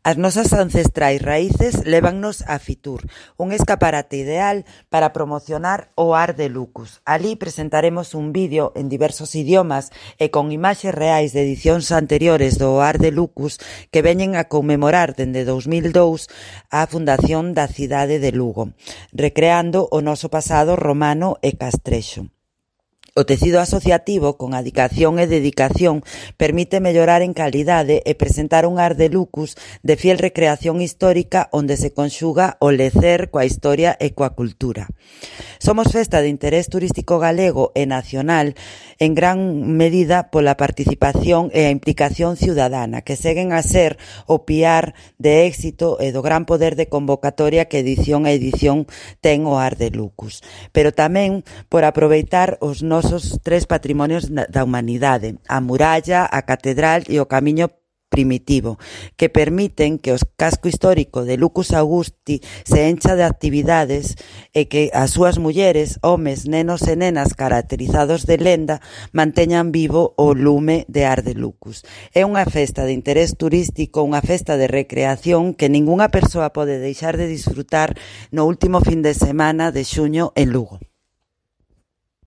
As nosas ancestrais raíces lévannos a Fitur, un escaparate ideal para promocionar o Ar de Lucus. Alí presentaremos un vídeo en diversos idiomas e con imaxes reais de edicións anteriores do Ar de Lucus que veñen a conmemorar dende 2002 a fundación da cidade de Lugo, recreando o noso pasado romano e castrexo. O tecido asociativo, con adicación e dedicación, permite mellorar en calidade e presentar un Ar de Lucus de fiel recreación histórica onde se conxuga o lecer coa historia e coa cultura. Somos festa de interés turístico galego e nacional en gran medida pola participación e a implicación ciudadana, que seguen a ser o piar de éxito e do gran poder de convocatoria que edición a edición ten o Ar de Lucus, pero tamén por aproveitar os nosos tres patrimonios da humanidade, a muralla, a catedral e o camiño primitivo, que permiten que o casco histórico de Lucus Augusti se encha de actividades e que as súas mulleres, homes, nenos e nenas caracterizados de lenda manteñan vivo o lume de Ar de Lucus. É unha festa de interés turístico, unha festa de recreación que ningunha persoa pode deixar de disfrutar no último fin de semana de xuño en Lugo.